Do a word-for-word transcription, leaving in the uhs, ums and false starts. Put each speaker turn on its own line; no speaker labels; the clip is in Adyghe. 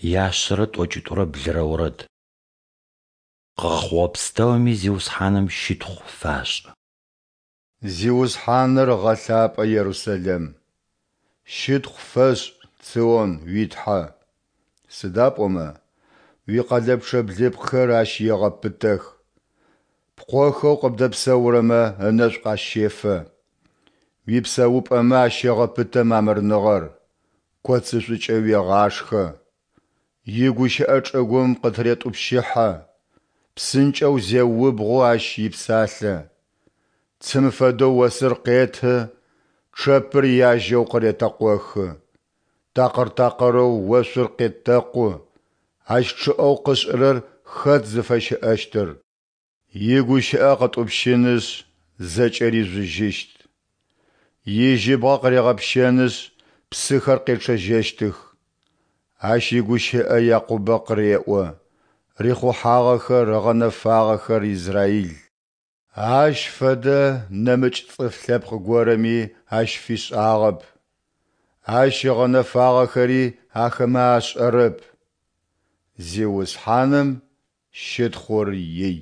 Яшъэрэ тӏокӏитӏурэ блырэ орэд. Къыгъэхъугъэ пстэуми Зиусхьаным щытхъу фашӏы.
Зиусхьаныр гъэлъапӏэ, Ерусэлэм! Щытхъу фэшӏ, Цион, уи Тхьэ! Сыда пӏомэ уикъэлэпчъэ блыпкъхэр Ащ егъэпытэх, пкъохэу къыбдэпсэурэмэ ынэшӏу къащефэ. Уипсэупӏэмэ ащегъэпытэ мамырныгъэр, коцышӏукӏэ уегъашхэ. Игущыӏэ чӏыгум къытыретӏупщыхьэ, псынкӏэу зеубгъу Ащ ипсалъэ. Цым фэдэу осыр къеты, чъэпыр яжьэу къыретэкъохы. Такъыр-такъырэу ошъур къетэкъу, Ащ чъыӏэу къышӏырэр хэт зыфэщыӏэщтыр? Игущыӏэ къытӏупщынышъ, зэкӏэри жъужьыщт. Ижьыбгъэ къыригъэпщэнышъ, псыхэр къечъэжьэщтых. Ащ игущыӏэ Якъубэ къыреӏо, рихъухьагъэхэр, ыгъэнэфагъэхэр Израил. Ащ фэдэ нэмыкӏ цӏыф лъэпкъ горэми Ащ фишӏагъэп, Ащ ыгъэнэфагъэхэри ахэмэ ашӏэрэп. Зиусхьаным щытхъур ий.